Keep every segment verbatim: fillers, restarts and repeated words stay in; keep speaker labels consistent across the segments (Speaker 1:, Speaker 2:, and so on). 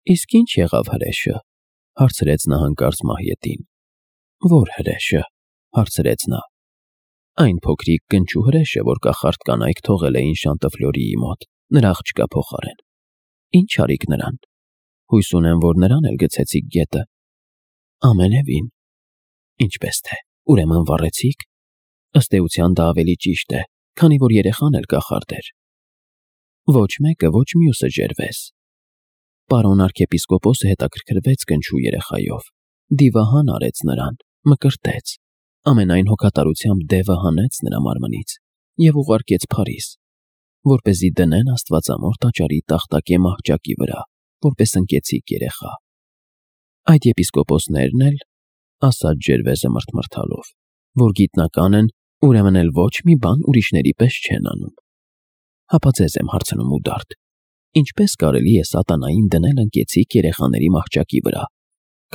Speaker 1: Իսկ ինչ եղավ հրեշը, հարցրեց նա հանկարծ Մահյետին։ Որ հրեշը, հարցրեց նա։ Այն փոքրիկ կնճու հրեշը, որ կախարդ կանայք թողել էին Շանտըֆլյորիի մոտ, նրա աղջկա փոխարեն։ Ինչ արիք նրան։ Հույս ունեմ, որ նրան էլ գցեցիք գետը։ Ամենևին։ Ինչպես թե, ուրեմն վառեցիք։ Ըստ էության դա ավելի ճիշտ է, քանի որ երեխան էլ կախարդ էր։ Ոչ մեկը, ոչ մյուսը ջերվեց։ Պարոն arczepiskopos-ը հետաքրքրվեց կնճու երեխայով, դիվահան արեց նրան, մկրտեց, ամենայն հոգատարությամբ դևը հանեց նրա մարմնից և ուղարկեց Փարիզ, որպեսզի դնեն Աստվածամոր տաճարի տախտակե մահճակի վրա, որպես ընկեցիկ երեխա։ Այդ եպիսկոպոսներն էլ, ասաց Ջերվեզը մռթմռթալով, որ գիտնական են, ուրեմն էլ ոչ մի բան ուրիշների պես չեն անում։ Հապա ձեզ եմ հարցնում ուդարդ, ինչպես կարելի է սատանային դնել ընկեցիկ երեխաների մահճակի վրա,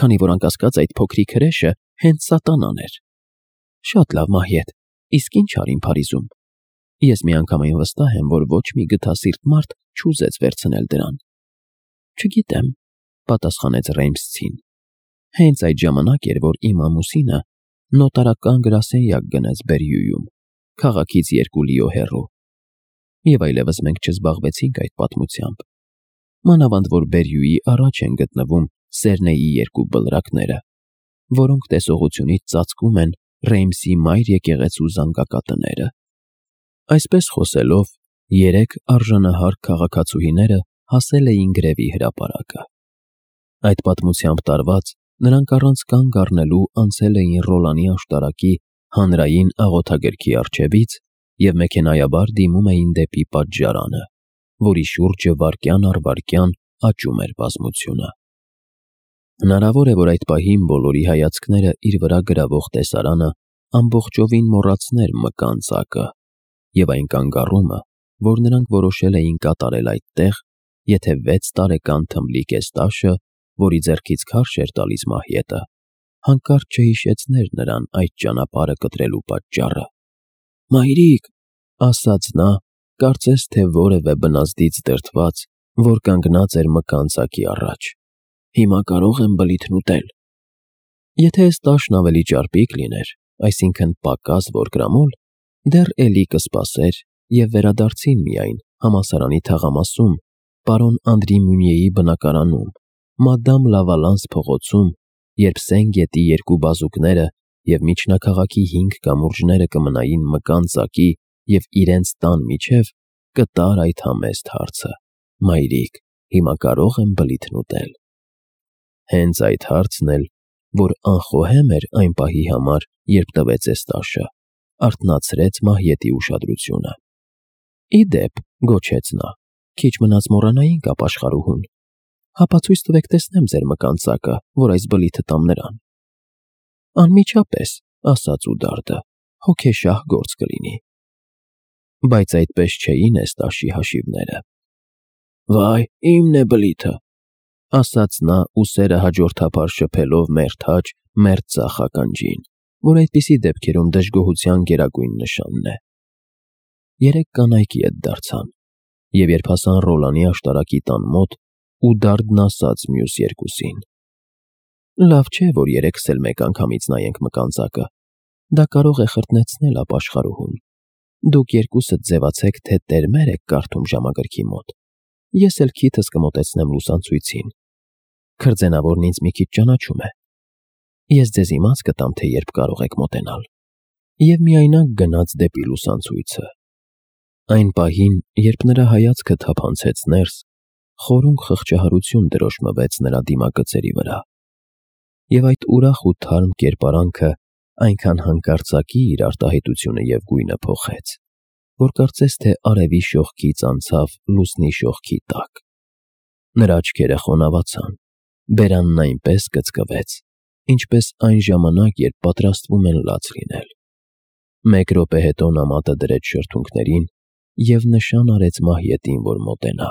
Speaker 1: քանի որ անկասկած այդ փոքրիկ հրեշը հենց սատանան էր։ Շատ լավ, Մահյետ, իսկ ինչ արին Փարիզում։ Ես միանգամայն վստահ եմ, որ ոչ մի գթասիրտ մարդ չուզեց վերցնել դրան։ Չգիտեմ, պատասխանեց Ռեյմսցին։ Հենց այդ ժամանակ էր, որ իմ ամուսինը նոտարական գրասենյակ գնաց Բերյուում, քաղաքից երկու լիո հեռու։ Եվ այլևս մենք չզբաղվեցինք այդ պատմությամբ։ Մանավանդ որ Բերյուի առաջ են գտնվում Սերնեի երկու բլրակները, որոնք տեսողությունից ծածկում են Ռեյմսի մայր եկեղեցու զանգակատները։ Այսպես խոսելով, երեք արժանահար քաղաքացուհիները հասել էին գրևի հրապարակը։ Այդ պատմությամբ տարված, նրանք առանց կանգ առնելու անցել էին Ռոլանի աշտարակի հանրային աղոթագրքի առջևից և մեքենայաբար դիմում էին դեպի պատժարանը, որի շուրջը վայրկյան առ վայրկյան աճում էր բազմությունը։ Հնարավոր է, որ այդ պահին բոլորի հայացքները իր վրա գրավող տեսարանը ամբողջովին մոռացներ մկան ծակը և այն կանգառումը, որ նրանք որոշել էին կատարել այդտեղ, եթե վեց տարեկան թմբլիկ Էստաշը, որի ձեռքից քարշ էր տալիս Մահյետը, հանկարծ չհիշեցներ նրան այդ ճանապարհը կտրելու պատճառը։ Մայրիկ, ասաց նա, կարծես թե որևէ բնազդից դրդված, որ կանգնած էր մկան ծակի առաջ։ Հիմա կարող եմ բլիթն ուտել։ Եթե Էստաշն ավելի ճարպիկ լիներ, այսինքն պակաս որգրամոլ, դեռ էլի կսպասեր և վերադարձին միայն համալսարանի թաղամասում, պարոն Անդրի Մյունյեի բնակարանում, մադամ Լավալանս փողոցում, երբ Սեն գետի երկու բազուկները և միջնաքաղաքի հինգ կամուրջները կմնային մկան ծակի և իրենց տան միջև, կտար այդ համեստ հարցը. Մայրիկ, հիմա կարող եմ բլիթն ուտել։ Հենց այդ հարցն էլ, որ անխոհեմ էր այն պահի համար, երբ տվեց Էստաշը, արթնացրեց Մահյետի ուշադրությունը։ Ի դեպ, գոչեց նա, քիչ մնաց մոռանայինք ապաշխարուհուն։ Հապա ցույց տվեք տեսնեմ ձեր մկան ծակը, որ այս բլիթը տամ նրան։ Անմիջապես, ասաց ուդարդը, հոգեշահ գործ կլինի։ Բայց այդպես չէին Էստաշի հաշիվները։ Վայ, իմն է բլիթը, ասաց նա ուսերը հաջորդափար շփելով մերթ աջ, մերթ ձախ ականջին, որ այդպիսի դեպքերում դժգոհության գերագույն նշանն է։ Երեք կանայք ետ դարձան, և երբ հասան Ռոլանի աշտարակի տան մոտ, ուդարդն ասաց մյուս երկուսին. Լավ չէ, որ երեքս էլ մեկ անգամից նայենք մկան ծակը, դա կարող է խրտնեցնել ապաշխարուհուն։ Դուք երկուսդ ձևացեք, թե տերմեր եք կարդում ժամագրքի մոտ, ես էլ քիթս կմոտեցնեմ լուսանցույցին։ Քրձենավորն ինձ մի քիչ ճանաչում է։ Ես ձեզ իմաց կտամ, թե երբ կարող եք մոտենալ։ Եվ միայնակ գնաց դեպի լուսանցույցը։ Այն պահին, երբ նրա հայացքը թափանցեց ներս, խորունկ խղճահարություն դրոշմվեց նրա դիմագծերի վրա։ Եվ այդ ուրախ ու թարմ կերպարանքը այնքան հանկարծակի իր արտահայտությունը և գույնը փոխեց, որ կարծես թե արևի շողքից անցավ լուսնի շողքի տակ։ Նրա աչքերը խոնավացան, բերանն այնպես կծկվեց, ինչպես այն ժամանակ, երբ պատրաստվում են լաց լինել։ Մեկ րոպե հետո նա մատը դրեց շրթունքներին և նշան արեց Մահյետին, որ մոտենա։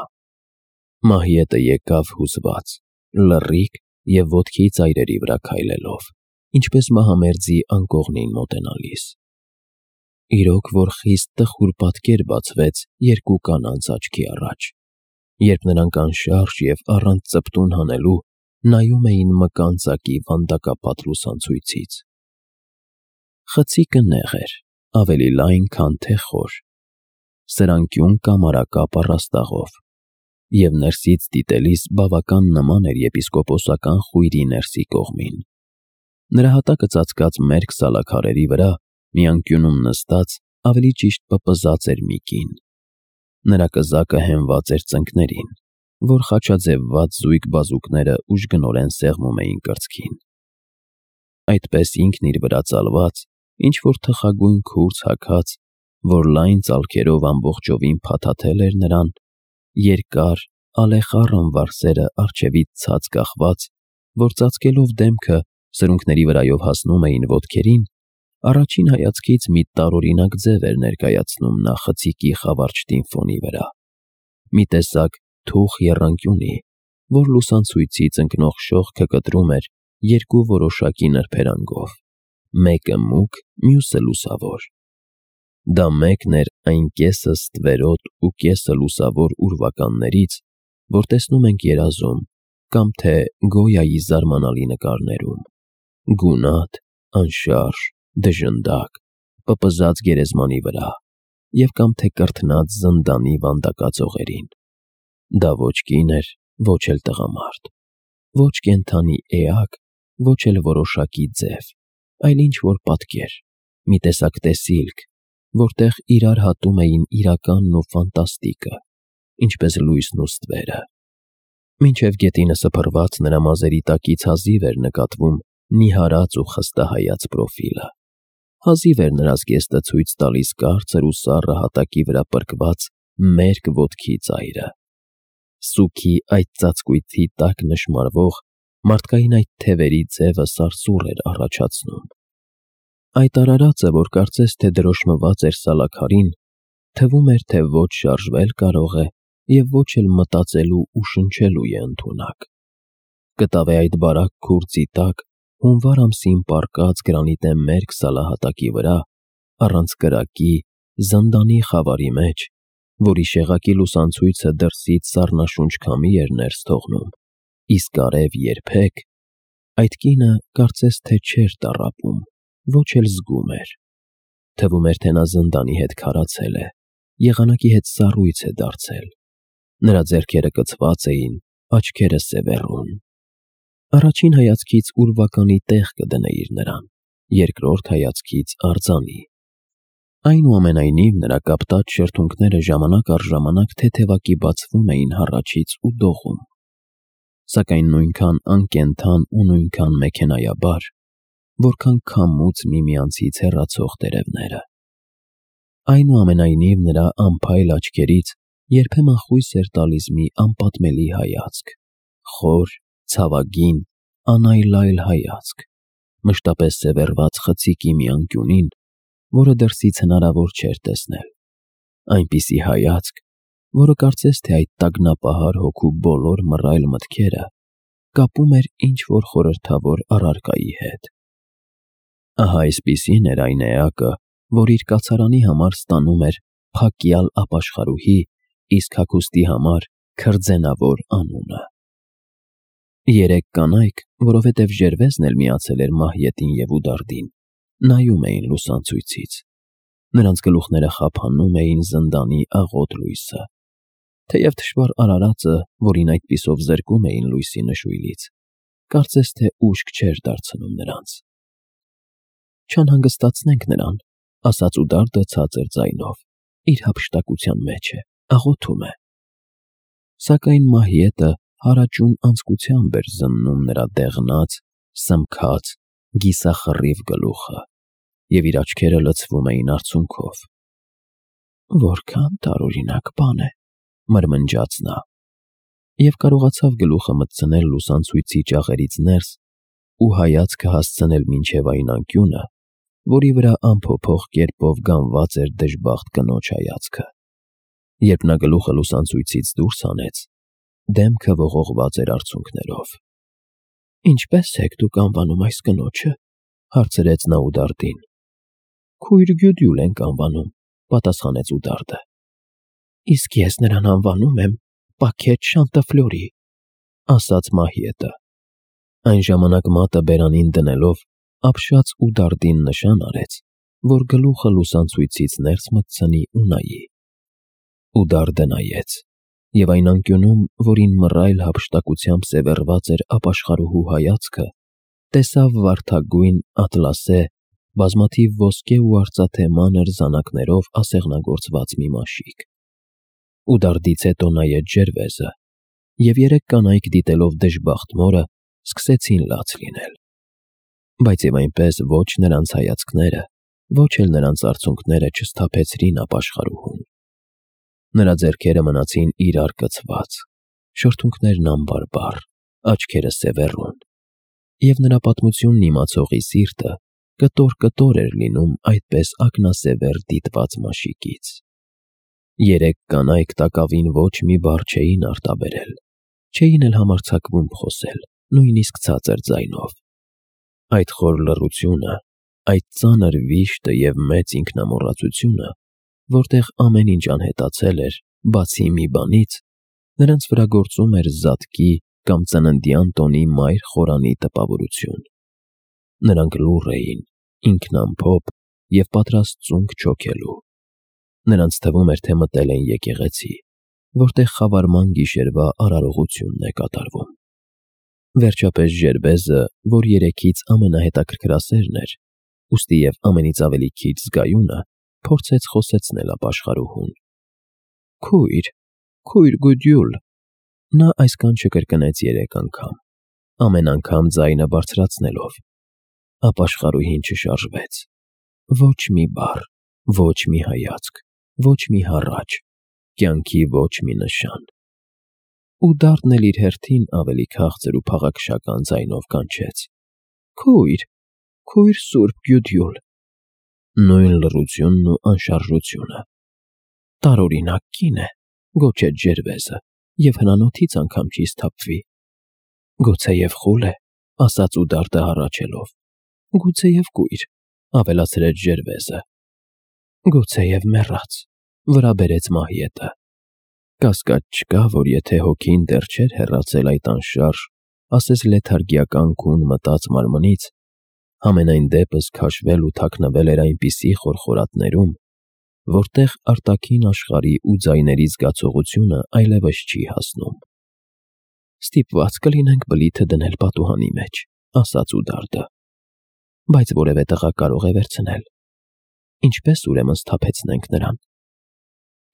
Speaker 1: Մահյետը եկավ հուզված, լռիկ և ոտքի ծայրերի վրա քայլելով, ինչպես մահամերձի անկողնին մոտենալիս։ Իրոք որ խիստ տխուր պատկեր բացվեց երկու կանանց աչքի առաջ։ երբ նրանք անշարժ և առանց ծպտուն հանելու նայում էին մկան ծակի վանդակապատ լուսանցույցից։ Խցիկը նեղ էր, ավելի լայն, քան թե խոր, սրանկյուն կամարակապ առաստաղով, և ներսից դիտելիս բավական նման էր եպիսկոպոսական խույրի ներսի կողմին։ Նրա հատակը ծածկած մերկ սալաքարերի վրա մի անկյունում նստած, ավելի ճիշտ պպզած էր մի կին։ Նրա կզակը հենված էր ծնկներին, որ խաչաձևված զույգ բազուկները ուժգնորեն սեղմում էին կրծքին։ Այդպես ինքն իր վրա ծալված, ինչ-որ թխագույն քուրձ հագած, որ լայն ծալքերով ամբողջովին փաթաթել էր նրան, երկար, ալեխառն վարսերը առջևից ցած կախված, որ ծածկելով դեմքը սրունքների վրայով հասնում էին ոտքերին, առաջին հայացքից մի տարօրինակ ձև էր ներկայացնում նա խցիկի խավարճտին ֆոնի վրա, մի տեսակ թուխ եռանկյունի, որ լուսանցույցից ընկնող շողքը կտրում էր երկու որոշակի նրբերանգով, մեկը մուգ, մյուսը լուսավոր։ Դա մեկն էր այն կեսը ստվերոտ ու կեսը լուսավոր ուրվականներից, որ տեսնում ենք երազում կամ թե Գոյայի զարմանալի նկարներում, գունատ, անշարժ, դժնդակ, պպզած գերեզմանի վրա և կամ թե կրթնած զնդանի վանդակածողերին։ Դա ոչ կին էր, ոչ էլ տղամարդ, ոչ կենդանի էակ, ոչ էլ որոշակի ձև, այլ ինչ-որ պատկեր, մի տեսակ տեսիլք, որտեղ իրար հատում էին իրականն ու ֆանտաստիկը, ինչպես լույսն ու ստվերը։ Մինչև գետինը սփռված նրա մազերի տակից հազիվ էր նկատվում նիհարած ու խստահայաց պրոֆիլը, հազիվ էր նրա զգեստը ցույց տալիս կարծր ու սառը հատակի վրա պրկված մերկ ոտքի ծայրը։ Սուգի այդ ծածկույթի տակ նշմարվող մարդկային այդ թևերի ձևը սարսուռ էր առաջացնում։ Այդ արարածը, որ կարծես թե դրոշմված էր սալաքարին, թվում էր, թե ոչ շարժվել կարող է և ոչ էլ մտածելու ու շնչելու է ընդունակ։ Կտավե այդ բարակ քուրձի տակ հունվար ամսին պառկած գրանիտե մերկ սալահատակի վրա, առանց կրակի, զնդանի խավարի մեջ, որի շեղակի լուսանցույցը դրսից սառնաշունչ քամի էր ներս թողնում, իսկ արև երբեք, այդ կինը կարծես թե չէր տառապում, ոչ էլ զգում էր։ Թվում էր, թե նա զնդանի հետ քարացել է, եղանակի հետ սառույց է դարձել։ Նրա ձեռքերը կցված էին, աչքերը սևեռուն։ Առաջին հայացքից ուրվականի տեղ կդնեիր նրան, երկրորդ հայացքից արձանի։ Այնուամենայնիվ նրա կապտած շրթունքները ժամանակ առ ժամանակ թեթևակի բացվում էին հառաչից ու դողում, սակայն նույնքան անկենդան ու նույնքան մեքենայաբար, որքան քամուց միմյանցից հեռացող տերևները։ Այնուամենայնիվ նրա անփայլ աչքերից երբեմն խույս էր տալիս մի անպատմելի հայացք, խոր, ցավագին, անայլայլ հայացք, մշտապես սևեռված խցիկի մի անկյունին, որը դրսից հնարավոր չէր տեսնել, այնպիսի հայացք, որը կարծես թե այդ տագնապահար հոգու բոլոր մռայլ մտքերը կապում էր ինչ-որ խորհրդավոր առարկայի հետ։ Ահա այսպիսին էր այն էակը, որ իր կացարանի համար ստանում էր փակյալ ապաշխարուհի, իսկ հագուստի համար քրձենավոր անունը։ Երեք կանայք, որովհետև Ժերվեզն էլ միացել էր Մահյետին և Ուդարդին, նայում էին լուսանցույցից։ Նրանց գլուխները խափանում էին զնդանի աղոտ լույսը, թեև թշվառ արարածը, որին այդպիսով զրկում էին լույսի նշույլից, կարծես թե ուշք չէր դարձնում նրանց։ «Չանհանգստացնենք նրան», ասաց Ուդարդը ցածր ձայնով, իր հափշտակության մեջ է, աղոթում է։ Սակայն Մահյետը հարաճուն անձկությամբ էր զննում նրա դեղնած, սմքած, գիսախռիվ գլուխը, և իր աչքերը լցվում էին արցունքով։ «Որքան տարօրինակ բան է», մրմնջաց նա, և կարողացավ գլուխը մտցնել լուսանցույցի ճաղերից ներս ու հայացքը հասցնել մինչև այն անկյունը, որի վրա անփոփոխ կերպով գանված էր դժբախտ կնոջ հայացքը։ Երբ նա գլուխը լուսանցույցից դուրս հանեց, դեմքը ողողված էր արցունքներով։ «Ինչպե՞ս եք դուք անվանում այս կնոջը», հարցրեց նա Ուդարդին։ «Քույր Գյուդյուլ ենք անվանում», պատասխանեց Ուդարդը։ «Իսկ ես նրան անվանում եմ պակետ Շանտաֆլորի, ասաց Մահիետը։ Այն ժամանակ մատը բերանին դնելով ապշած ու դարդին նշան արեց, որ գլուխը լուսանցույցից ներս մտցնի ու նայի։ Ու դարդը նայեց, և այն անկյունում, որին մռայլ հափշտակությամբ սևեռված էր ապաշխարուհու հայացքը, տեսավ վարդագույն, ատլասե, բազմաթիվ ոսկե ու արծաթե մանր զանակներով ասեղնագործված մի մաշիկ։ Ու դարդից հետո նայեց ջերվեզը, և երեք կանայք դիտելով դժբախտ մորը, սկսեցին լաց լինել։ Բայց և այնպես ոչ նրանց հայացքները, ոչ էլ նրանց արցունքները չսթափեցրին ապաշխարուհուն։ Նրա ձեռքերը մնացին իրար կցված, շրթունքներն ամբարբար, աչքերը սևեռուն, և նրա պատմությունն իմացողի սիրտը կտոր-կտոր էր լինում այդպես ակնասևեռ դիտված մաշիկից։ Երեք կանայք տակավին ոչ մի բառ չէին արտաբերել, չէին էլ համարձակվում խոսել, նույնիսկ ցածր ձայնով։ Այդ խոր լռությունը, այդ ծանր վիշտը և մեծ ինքնամոռացությունը, որտեղ ամեն ինչ անհետացել էր, բացի մի բանից, նրանց վրա գործում էր զատկի կամ ծննդյան տոնի մայր խորանի տպավորություն։ Նրանք լուռ էին, ինքնամփոփ և պատրաստ ծունկ չոքելու։ Նրանց թվում էր, թե մտել են եկեղեցի, որտեղ խավարման գիշերվա արարողությունն է կատարվում։ Վերջապես Ժերվեզը, որ երեքից ամենահետաքրքրասերն էր, ուստի և ամենից ավելի քիչ զգայունը, փորձեց խոսեցնել ապաշխարուհուն։ Քույր, քույր Գուդյուլ… Նա այս կանչը կրկնեց երեք անգամ, ամեն անգամ ձայնը բարձրացնելով։ Ապաշխարուհին չշարժվեց։ Ոչ մի բառ, ոչ մի հայացք, ոչ մի հառաչ, կյանքի ոչ մի նշան։ Ու դարդն էլ իր հերթին ավելի քաղցր ու փաղաքշական ձայնով կանչեց. Քույր, քույր Սուրբ Գյուդյուլ… Նույն լռությունն ու անշարժությունը։ Տարօրինակ կին է, գոչեց Ջերվեզը, և հնանոթից անգամ չի սթափվի։ Գուցեև խուլ է, ասաց ու դարդը հառաչելով։ Գուցեև կույր, ավելացրեց Ջերվեզը։ Գուցեև մեռած, վրա բերեց Մահիետը։ Կասկած չկա, որ եթե հոգին դեռ չէր հեռացել այդ անշարժ, ասես լեթարգիական քուն մտած մարմնից, համենայն դեպս քաշվել ու թաքնվել էր այնպիսի խորխորատներում, որտեղ արտաքին աշխարհի ու ձայների զգացողությունը այլևս չի հասնում։ Ստիպված կլինենք բլիթը դնել պատուհանի մեջ, ասաց ու դարդը։ Բայց որևէ տղա կարող է վերցնել։ Ինչպես ուրեմն սթափեցնենք նրան։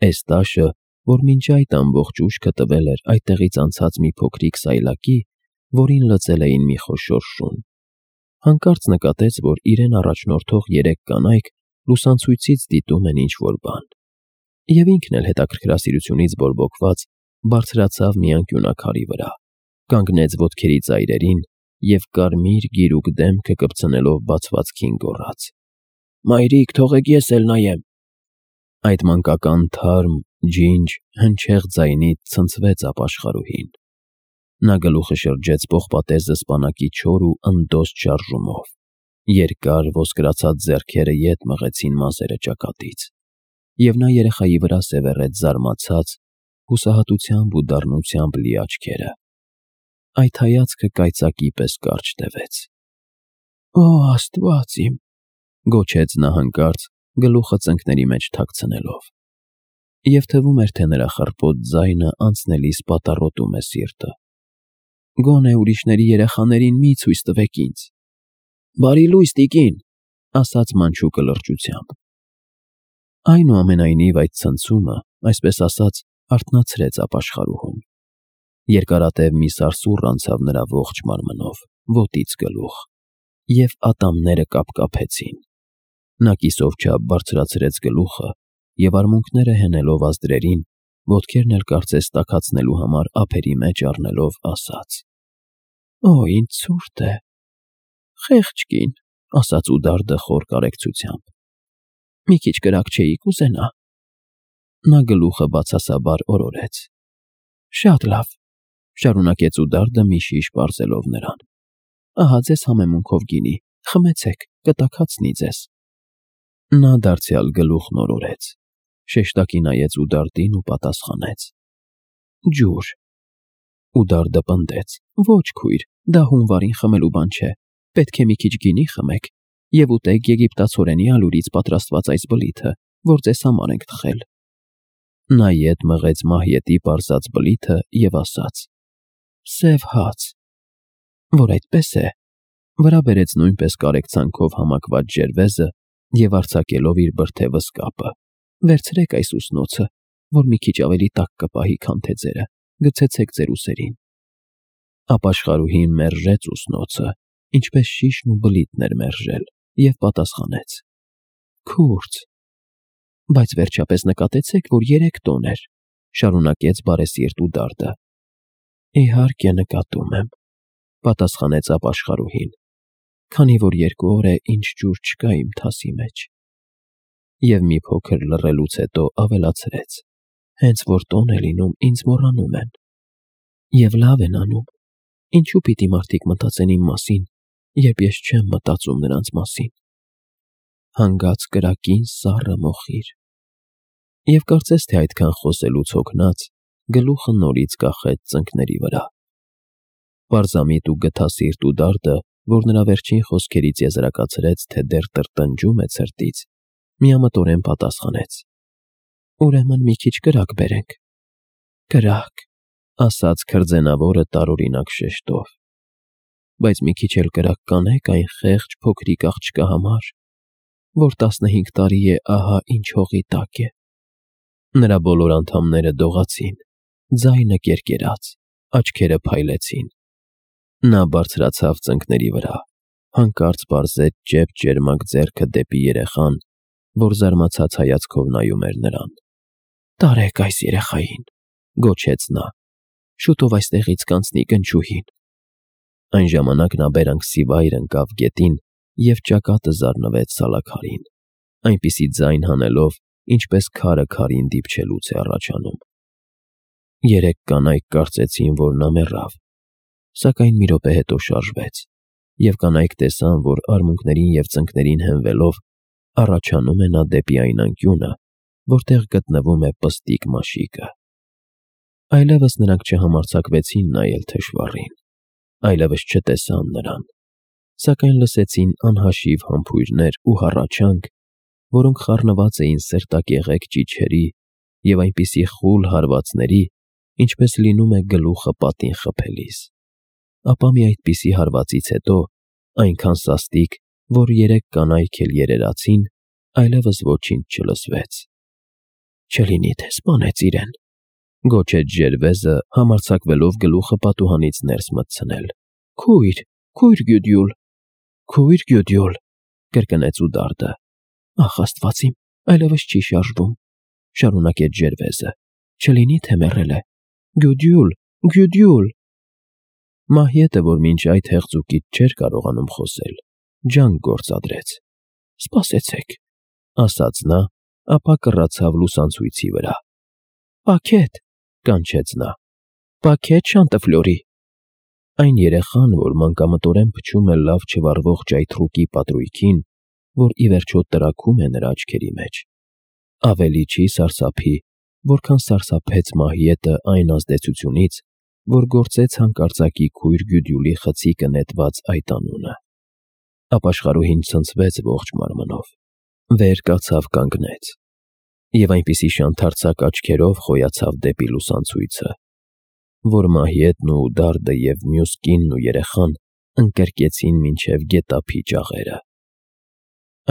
Speaker 1: Էստաշը, որ մինչ այդ ամբողջ ուշքը տվել էր այդտեղից անցած մի փոքրիկ սայլակի, որին լծել էին մի խոշոր շուն, հանկարծ նկատեց, որ իրեն առաջնորդող երեք կանայք լուսանցույցից դիտում են ինչ-որ բան, և ինքն էլ հետաքրքրասիրությունից բորբոքված բարձրացավ մի անկյունակարի վրա, կանգնեց ոտքերի ծայրերին և կարմիր գիրուկ դեմքը կպցնելով բացվածքին գոռաց. Մայրիկ, թողեք ես էլ նայեմ։ Այդ մանկական թարմ, ջինջ, հնչեղ ձայնից ցնցվեց ապաշխարուհին։ Նա գլուխը շրջեց պողպատե զսպանակի չոր ու ընդոստ շարժումով, երկար ոսկրացած ձեռքերը ետ մղեցին մազերը ճակատից, և նա երեխայի վրա սևեռեց զարմացած, հուսահատությամբ ու դառնությամբ լի աչքերը։ Այդ հայացքը կայծակի պես կարճ տևեց։ Օ Աստված իմ… գոչեց նա հանկարծ, գլուխը ծնկների մեջ թաքցնելով։ Եվ թվում էր, թե նրա խռպոտ ձայնը անցնելիս պատառոտում է սիրտը։ Գոնե ուրիշների երեխաներին մի ցույց տվեք ինձ։ Բարի լույս, տիկին, ասաց մանչուկը լրջությամբ։ Այնուամենայնիվ այդ ցնցումը, այսպես ասած, արթնացրեց ապաշխարուհուն։ Երկարատև մի սարսուռ անցավ նրա ողջ մարմնով, ոտից գլուխ, և ատամները կապկապեցին։ Նա կիսով չափ բարձրացրեց գլուխը և արմունկները հենելով ազդրերին, ոտքերն էլ կարծես տաքացնելու համար ափերի մեջ առնելով ասաց. Օ, ինձ ցուրտ է։ Խեղճ կին, ասաց ու դարդը խոր կարեկցությամբ։ Մի քիչ կրակ չէի կուզենա։ Նա գլուխը բացասաբար օրորեց։ Շատ լավ, շարունակեց ու դարդը մի շիշ պարզելով նրան։ Ահա ձեզ համեմունքով գինի, խմեցեք, կտաքացնի ձեզ։ Նա դարձյալ գլուխն օրորեց, շեշտակի նայեց ու դարդին ու պատասխանեց. Ջուր։ Ուդարդը պնդեց. Ոչ քույր, դա հունվարին խմելու բան չէ, պետք է մի քիչ գինի խմեք և ուտեք եգիպտացորենի ալուրից պատրաստված այս բլիթը, որ ձեզ համար ենք թխել։ Նա ետ մղեց Մահիետի պարզած բլիթը և ասաց. Սև հաց։ Որ այդպես է, վրա բերեց նույնպես կարեկցանքով համակված ջերվեզը և արձակելով իր բրդե վսկապը. Վերցրեք այս ուսնոցը, որ մի քիչ ավելի տաք կպահի, քան թե ձերը, գցեցեք ձեր ուսերին։ Ապաշխարուհին մերժեց ուսնոցը, ինչպես շիշն ու բլիթն էր մերժել, և պատասխանեց. Քուրձ։ Բայց վերջապես նկատեցեք, որ երեք տոն էր, շարունակեց բարեսիրտ Ուդարդը։ Իհարկե նկատում եմ, պատասխանեց ապաշխարուհին, քանի որ երկու օր է, ինչ ջուր չկա իմ թասի մեջ։ Եվ մի փոքր լռելուց հետո ավելացրեց. Հենց որ տոն է լինում, ինձ մոռանում են։ Եվ լավ են անում, ինչու պիտի մարդիկ մտածեն իմ մասին, երբ ես չեմ մտածում նրանց մասին։ Հանգած կրակին սառը մոխիր։ Եվ կարծես թե այդքան խոսելուց հոգնած, գլուխը նորից կախեց ծնկների վրա։ Պարզամիտ ու գթասիրտ Ուդարդը, որ նրա վերջին խոսքերից եզրակացրեց, թե դեռ տրտնջում է ցրտից, միամտորեն պատասխանեց. Ուրեմն մի քիչ կրակ բերենք։ Կրակ, ասաց քրձենավորը տարօրինակ շեշտով։ Բայց մի քիչ էլ կրակ կանեք այն խեղճ փոքրիկ աղջկա համար, որ տասնհինգ տարի է ահա ինչ հողի տակ է։ Նրա բոլոր անդամները դողացին, ձայնը կերկերաց, աչքերը փայլեցին։ Նա բարձրացավ ծնկների վրա, հանկարծ պարզեց ճեպ ճերմակ ձեռքը դեպի երեխան, որ զարմացած հայացքով նայում էր նրան։ Տարեք այս երեխային, գոչեց նա, շուտով այստեղից կանցնի կնճուհին։ Այն ժամանակ նա բերանքսի վայր ընկավ գետին և ճակատը զարնվեց սալաքարին, այնպիսի ձայն հանելով, ինչպես քարը քարին դիպչելուց է առաջանում։ Երեք կանայք կարծեցին, որ նա մեռավ, սակայն մի րոպե հետո շարժվեց, և կանայք տեսան, որ արմունկներին և ծնկներին հենվելով, առաջանում է նա դեպի այն անկյունը, որտեղ գտնվում է պստիկ մաշիկը։ Այլևս նրանք չհամարձակվեցին նայել թշվառին, այլևս չտեսան նրան, սակայն լսեցին անհաշիվ համբույրներ ու հառաչանք, որոնք խառնված էին սրտակեղեկ ճիչերի և այնպիսի խուլ հարվածների, ինչպես լինում է գլուխը պատին խփելիս։ Ապա մի այդպիսի հարվածից հետո, այնքան սաստիկ, որ երեք կանայք էլ երերացին, այլևս ոչինչ չլսվեց։ Չլինի թե սպանեց իրեն, գոչեց ջերվեզը, համարձակվելով գլուխը պատուհանից ներս մտցնել։ Քույր, քույր Գյուդյուլ, քույր Գյուդյուլ, կրկնեց Ուդարդը։ Ախ Աստված իմ, այլևս չի շարժվում, շարունակեց ջերվեզը։ Չլինի թե մեռել է։ Գյուդյուլ, Գյուդյուլ։ Մահիետը, որ մինչ այդ հեղձուկից չէր կարողանում խոսել, ջանք գործադրեց։ Սպասեցեք, ասաց նա, ապա կռացավ լուսանցույցի վրա։ Պաքետ, կանչեց նա, պաքետ Շանտըֆլյորի։ Այն երեխան, որ մանկամտորեն փչում է լավ չվառվող ճայթռուկի պատրույգին, որ ի վերջո տրաքում է նրա աչքերի մեջ, ավելի չի սարսափի, որքան սարսափեց Մահիետը այն ազդեցությունից, որ գործեց հանկարծակի քույր Գյուդյուլի խցիկը նետված այդ անունը։ Ապաշխարուհին ցնցվեց ողջ մարմնով, վեր կացավ կանգնեց, և այնպիսի շանթարցակ աչքերով խոյացավ դեպի լուսանցույցը, որ Մահիետն ու Ուդարդը և մյուս կինն ու երեխան ընկրկեցին մինչև գետափի ճաղերը։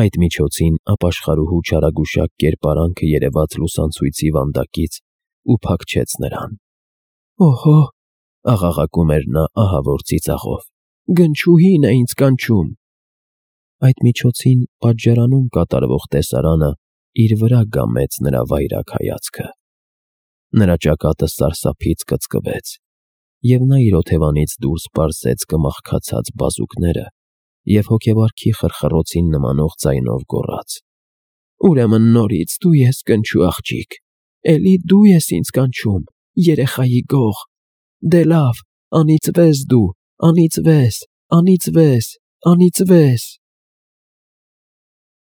Speaker 1: Այդ միջոցին ապաշխարուհու չարագուշակ կերպարանքը երևաց լուսանցույցի վանդակից ու փակչեց նրան։ Օհո, աղաղակում էր նա ահավոր ծիծաղով, գնչուհին է ինձ կանչում։ Այդ միջոցին պատժարանում կատարվող տեսարանը իր վրա գամեց նրա վայրագ հայացքը։ Նրա ճակատը սարսափից կծկվեց, և նա իր օթևանից դուրս պարզեց կմախքացած բազուկները և հոգեվարքի խրխռոցին նմանող ձայնով գոռաց. Ուրեմն նորից դու ես կնչու աղջիկ, էլի դու ես ինձ կանչում, երեխայի գող, դե լավ, անիծվես դու, անիծվես, անիծվես, անիծվես։